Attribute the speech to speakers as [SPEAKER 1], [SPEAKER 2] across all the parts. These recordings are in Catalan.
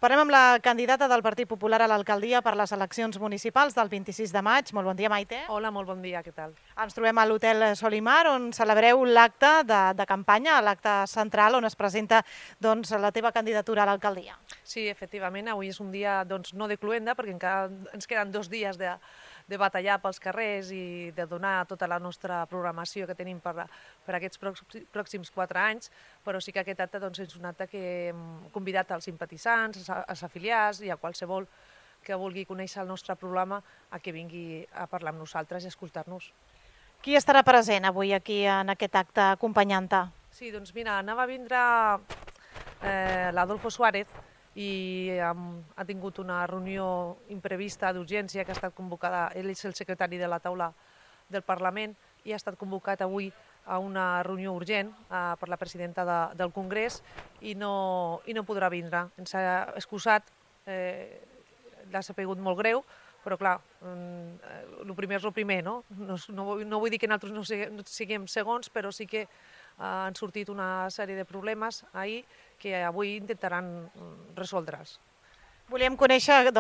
[SPEAKER 1] Parlem amb la candidata del Partit Popular a l'alcaldia per les eleccions municipals del 26 de maig. Molt bon dia, Maite.
[SPEAKER 2] Hola, molt bon dia, què tal?
[SPEAKER 1] Ens trobem a l'Hotel Solimar, on celebreu l'acte de campanya, l'acte central on es presenta la teva candidatura a l'alcaldia.
[SPEAKER 2] Sí, efectivament, avui és un dia no de cluenda, perquè encara ens queden 2 dies de batallar pels carrers i de donar tota la nostra programació que tenim per aquests pròxims 4 anys, però sí que aquest acte és un acte que hem convidat als simpatitzants, als afiliats i a qualsevol que vulgui conèixer el nostre programa a que vingui a parlar amb nosaltres i escoltar-nos.
[SPEAKER 1] Qui estarà present avui aquí en aquest acte acompanyant-te?
[SPEAKER 2] Sí, doncs mira, anava a vindre l'Adolfo Suárez i ha tingut una reunió imprevista d'urgència que ha estat convocada, ell és el secretari de la taula del Parlament i ha estat convocat avui a una reunió urgent per la presidenta del Congrés i no podrà vindre. Ens ha excusat, l'ha sapigut molt greu, però clar, el primer és el primer, no? No vull dir que nosaltres no siguem segons, però sí que han sortit una sèrie de problemes ahir que avui intentaran resoldre's.
[SPEAKER 1] Volíem conèixer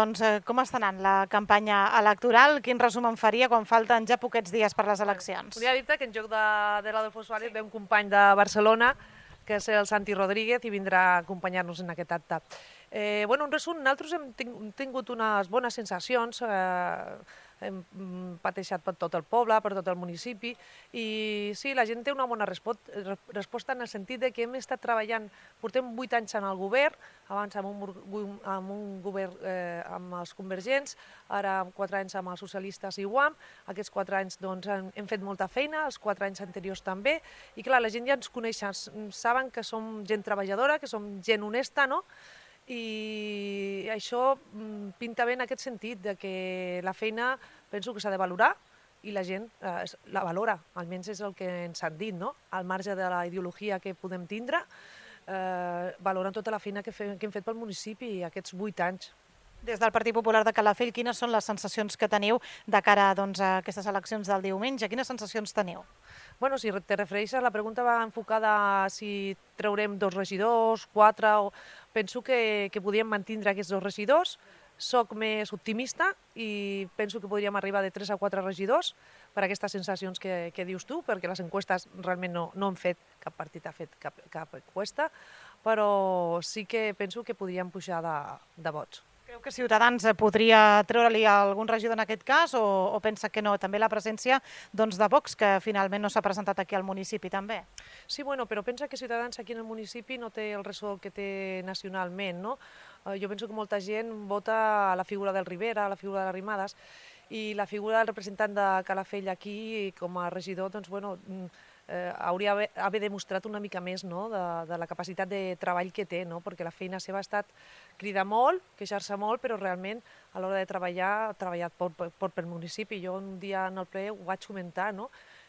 [SPEAKER 1] com està anant la campanya electoral, quin resum em faria quan falten ja poquets dies per les eleccions.
[SPEAKER 2] Volia dir-te que en lloc de l'Adolfo Suárez ve un company de Barcelona, que és el Santi Rodríguez, i vindrà a acompanyar-nos en aquest acte. En resum, nosaltres hem tingut unes bones sensacions, hem pateixat per tot el poble, per tot el municipi, i sí, la gent té una bona resposta en el sentit que hem estat treballant, portem 8 anys en el govern, abans amb un govern amb els convergents, ara 4 anys amb els socialistes i UAM, aquests 4 anys hem fet molta feina, els 4 anys anteriors també, i clar, la gent ja ens coneix, saben que som gent treballadora, que som gent honesta, no? I això pinta bé en aquest sentit, que la feina penso que s'ha de valorar i la gent la valora, almenys és el que ens han dit, no? Al marge de la ideologia que podem tindre, valoren tota la feina que hem fet pel municipi aquests 8 anys.
[SPEAKER 1] Des del Partit Popular de Calafell, quines són les sensacions que teniu de cara a aquestes eleccions del diumenge? Quines sensacions teniu?
[SPEAKER 2] Bueno, si te refereixes, la pregunta va enfocada a si traurem 2 regidors, 4... Penso que podríem mantindre aquests 2 regidors. Soc més optimista i penso que podríem arribar de 3 a 4 regidors per aquestes sensacions que dius tu, perquè les enquestes realment no han fet, cap partit ha fet cap enquesta, però sí que penso que podríem pujar de vots.
[SPEAKER 1] Creu que Ciutadans podria treure-li algun regidor en aquest cas o pensa que no? També la presència de Vox, que finalment no s'ha presentat aquí al municipi també.
[SPEAKER 2] Sí, però pensa que Ciutadans aquí en el municipi no té el ressò que té nacionalment, no? Jo penso que molta gent vota a la figura del Rivera, a la figura de l'Arrimades, i la figura del representant de Calafell aquí com a regidor, hauria d'haver demostrat una mica més de la capacitat de treball que té, perquè la feina seva ha estat cridar molt, queixar-se molt, però realment a l'hora de treballar ha treballat poc pel municipi. Jo un dia en el ple ho vaig comentar,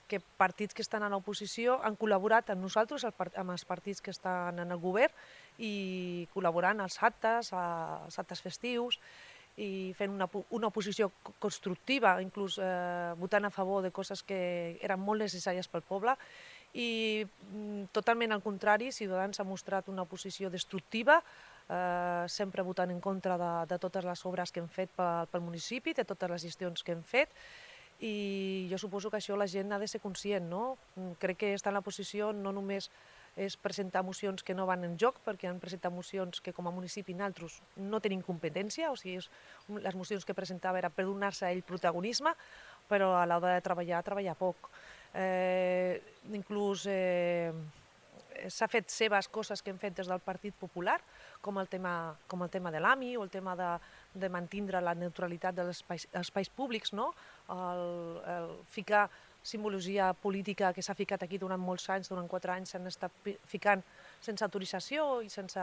[SPEAKER 2] que partits que estan a l'oposició han col·laborat amb nosaltres, amb els partits que estan en el govern, i col·laborant als actes festius, i fent una oposició constructiva, inclús votant a favor de coses que eren molt necessàries pel poble, i totalment al contrari, Ciutadans ha mostrat una oposició destructiva, sempre votant en contra de totes les obres que hem fet pel municipi, de totes les gestions que hem fet, i jo suposo que això la gent ha de ser conscient, no? Crec que estar en la posició no només és presentar mocions que no van en joc, perquè han presentat mocions que com a municipi nosaltres no tenim competència, o sigui, les mocions que presentava era per donar-se a ell protagonisme, però a l'hora de treballar poc. Inclús s'ha fet seves coses que hem fet des del Partit Popular, com el tema de l'AMI o el tema de mantindre la neutralitat dels espais públics, el ficar simbologia política que s'ha ficat aquí durant molts anys, durant 4 anys s'han estat ficant sense autorització i sense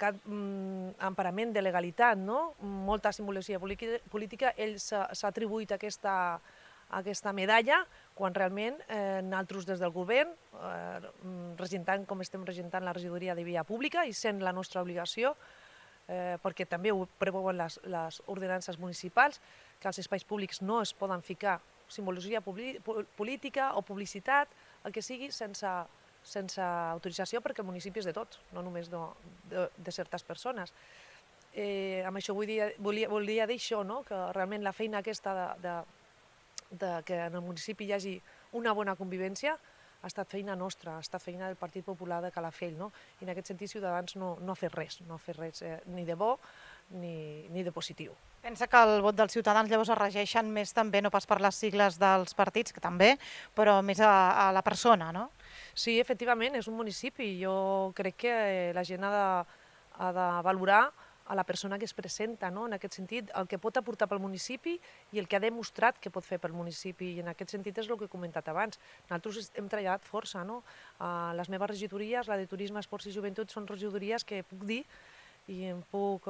[SPEAKER 2] cap emparament de legalitat, molta simbologia política, ell s'ha atribuït aquesta medalla, quan realment nosaltres des del govern, regentant com estem regentant la regidoria de via pública i sent la nostra obligació, perquè també ho preveuen les ordenances municipals, que als espais públics no es poden ficar simbologia política o publicitat, el que sigui, sense sense autorització, perquè el municipi és de tots, no només de certes persones. Amb això volia dir això, no? Que realment la feina aquesta de que en el municipi hi hagi una bona convivència ha estat feina nostra, ha estat feina del Partit Popular de Calafell, no? I en aquest sentit Ciutadans no ha fet res, ni de bo ni de positiu.
[SPEAKER 1] Pensa que el vot dels ciutadans llavors es regeixen més també, no pas per les sigles dels partits, que també, però més a la persona, no?
[SPEAKER 2] Sí, efectivament, és un municipi. Jo crec que la gent ha de valorar a la persona que es presenta, no? En aquest sentit, el que pot aportar pel municipi i el que ha demostrat que pot fer pel municipi. I en aquest sentit és el que he comentat abans. Nosaltres hem treballat força, no? Les meves regidories, la de Turisme, Esports i Joventut, són regidories que puc dir i em puc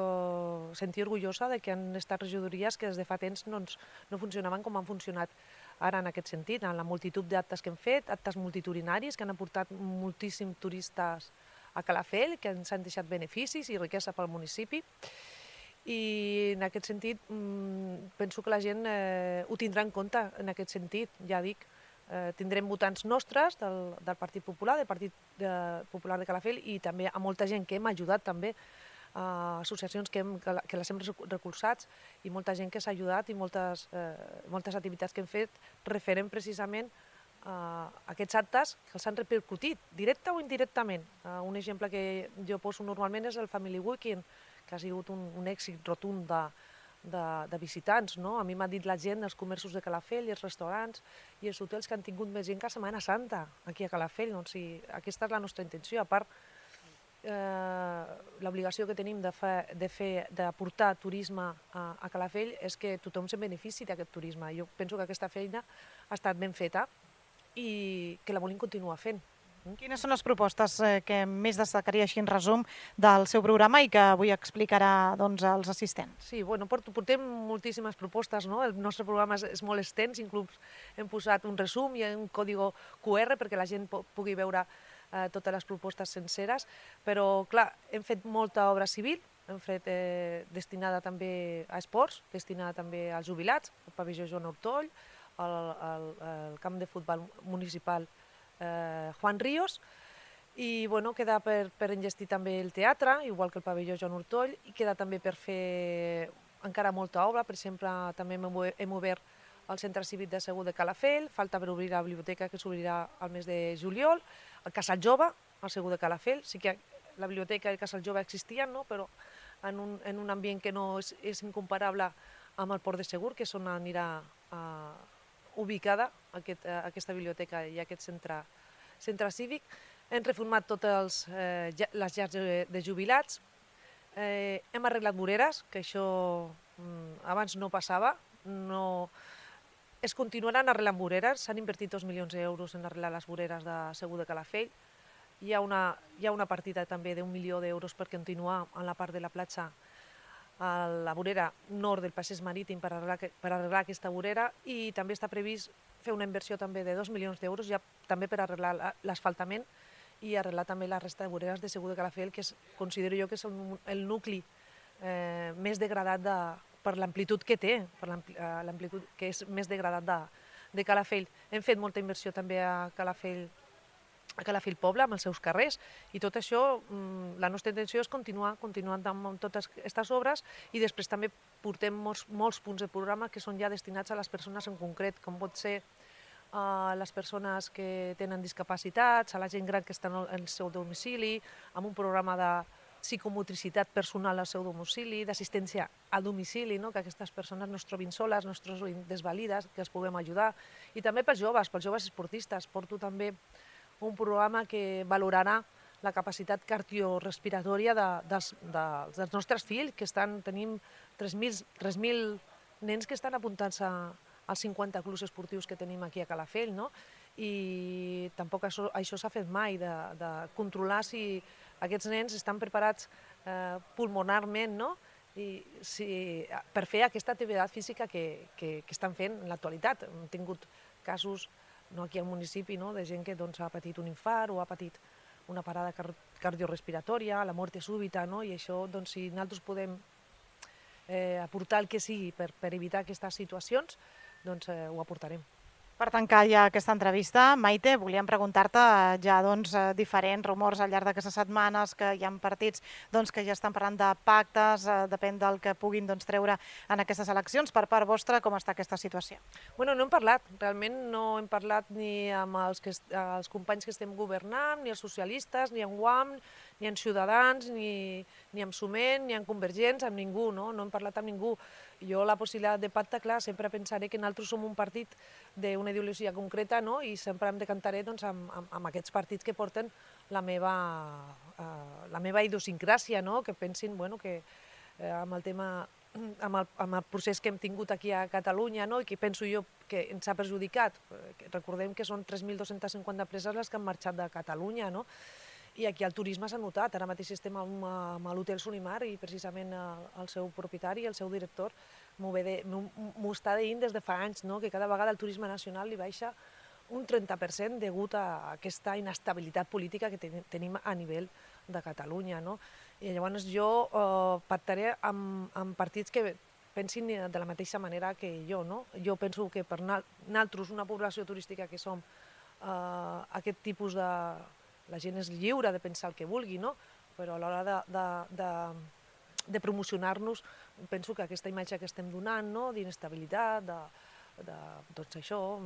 [SPEAKER 2] sentir orgullosa de que han estat regidories que des de fa temps no funcionaven com han funcionat ara en aquest sentit, en la multitud d'actes que hem fet, actes multitudinaris que han aportat moltíssims turistes a Calafell, que ens han deixat beneficis i riquesa pel municipi. I en aquest sentit penso que la gent ho tindrà en compte en aquest sentit, ja dic. Tindrem votants nostres del Partit Popular, del Partit Popular de Calafell, i també a molta gent que hem ajudat també, associacions que les hem recolzat i molta gent que s'ha ajudat i moltes activitats que hem fet referent precisament a aquests actes que els han repercutit, directe o indirectament. Un exemple que jo poso normalment és el Family Weekend, que ha sigut un èxit rotund de visitants, no? A mi m'ha dit la gent, els comerços de Calafell, els restaurants i els hotels que han tingut més gent que a Setmana Santa aquí a Calafell. Doncs aquesta és la nostra intenció, a part l'obligació que tenim d'aportar turisme a Calafell és que tothom se'n benefici d'aquest turisme. Jo penso que aquesta feina ha estat ben feta i que la volem continuar fent.
[SPEAKER 1] Quines són les propostes que més destacaria així en resum del seu programa i que avui explicarà als assistents?
[SPEAKER 2] Sí, bueno, portem moltíssimes propostes, no? El nostre programa és molt extens, inclús hem posat un resum i un codi QR perquè la gent pugui veure totes les propostes senceres, però clar, hem fet molta obra civil, hem fet destinada també a esports, destinada també als jubilats, el pavelló Joan Ortoll, el camp de futbol municipal Juan Ríos, i bueno, queda per enllestir també el teatre, igual que el pavelló Joan Ortoll, i queda també per fer encara molta obra. Per exemple, també hem obert el Centre Cívic de Segur de Calafell, falta per obrir la biblioteca que s'obrirà al mes de juliol, el Casal Jove, al Segur de Calafell, sí que la biblioteca i el Casal Jove existien, no? Però en un ambient que no és incomparable amb el Port de Segur, que és on anirà ubicada aquesta biblioteca i aquest centre cívic. Hem reformat totes les llars de jubilats, hem arreglat voreres, que això abans no passava, es continuaran arreglant voreres, s'han invertit 2 milions d'euros en arreglar les voreres de Segur de Calafell. Hi ha una partida també d'1 milió d'euros per continuar en la part de la platja a la vorera nord del passeig marítim per arreglar aquesta vorera, i també està previst fer una inversió també de 2 milions d'euros ja també per arreglar l'asfaltament i arreglar també la resta de voreres de Segur de Calafell, que considero jo que és el nucli més degradat per l'amplitud que té, per l'amplitud que és més degradat de Calafell. Hem fet molta inversió també a Calafell Poble, amb els seus carrers, i tot això, la nostra intenció és continuar amb totes aquestes obres, i després també portem molts punts de programa que són ja destinats a les persones en concret, com pot ser a les persones que tenen discapacitats, a la gent gran que està en el seu domicili, amb un programa de psicomotricitat personal al seu domicili, d'assistència a domicili, que aquestes persones no es trobin soles, no es trobin desvalides, que els puguem ajudar. I també pels joves esportistes, porto també un programa que valorarà la capacitat cardiorespiratòria dels nostres fills, que tenim 3.000 nens que estan apuntant-se als 50 clubs esportius que tenim aquí a Calafell, i tampoc això s'ha fet mai, de controlar si aquests nens estan preparats pulmonarment per fer aquesta activitat física que estan fent en l'actualitat. Hem tingut casos aquí al municipi de gent que ha patit un infart o ha patit una parada cardiorespiratòria, la mort súbita, i això, si nosaltres podem aportar el que sigui per evitar aquestes situacions, ho aportarem.
[SPEAKER 1] Per tancar ja aquesta entrevista, Maite, volíem preguntar-te ja diferents rumors al llarg d'aquestes setmanes, que hi ha partits que ja estan parlant de pactes, depèn del que puguin treure en aquestes eleccions. Per part vostra, com està aquesta situació?
[SPEAKER 2] Bueno, no hem parlat, realment no hem parlat ni amb els companys que estem governant, ni els socialistes, ni amb UAM, ni amb Ciutadans, ni amb Sument, ni amb Convergents, amb ningú, no hem parlat amb ningú. Jo la possibilitat de pacte, clar, sempre pensaré que nosaltres som un partit d'una ideologia concreta, i sempre em decantaré amb aquests partits que porten la meva idiosincràsia, que pensin que amb el tema, amb el procés que hem tingut aquí a Catalunya, i que penso jo que ens ha perjudicat. Recordem que són 3.250 empreses les que han marxat de Catalunya, i aquí el turisme s'ha notat. Ara mateix estem amb l'hotel Solimar i precisament el seu propietari, el seu director, m'ho està dient des de fa anys, que cada vegada el turisme nacional li baixa un 30% degut a aquesta inestabilitat política que tenim a nivell de Catalunya. I llavors jo pactaré amb partits que pensin de la mateixa manera que jo. Jo penso que per nosaltres, una població turística que som, aquest tipus de... La gent és lliure de pensar el que vulgui, però a l'hora de promocionar-nos penso que aquesta imatge que estem donant d'inestabilitat, doncs això,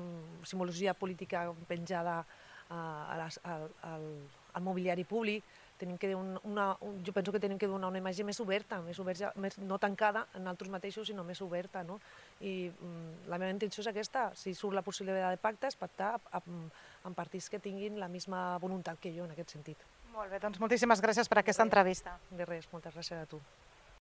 [SPEAKER 2] simbologia política penjada al mobiliari públic, jo penso que tenim que donar una imatge més oberta, no tancada en nosaltres mateixos, sinó més oberta. I la meva intenció és aquesta: si surt la possibilitat de pacte, és pactar amb partits que tinguin la mateixa voluntat que jo en aquest sentit.
[SPEAKER 1] Molt bé, doncs moltíssimes gràcies per aquesta entrevista.
[SPEAKER 2] De res, moltes gràcies a tu.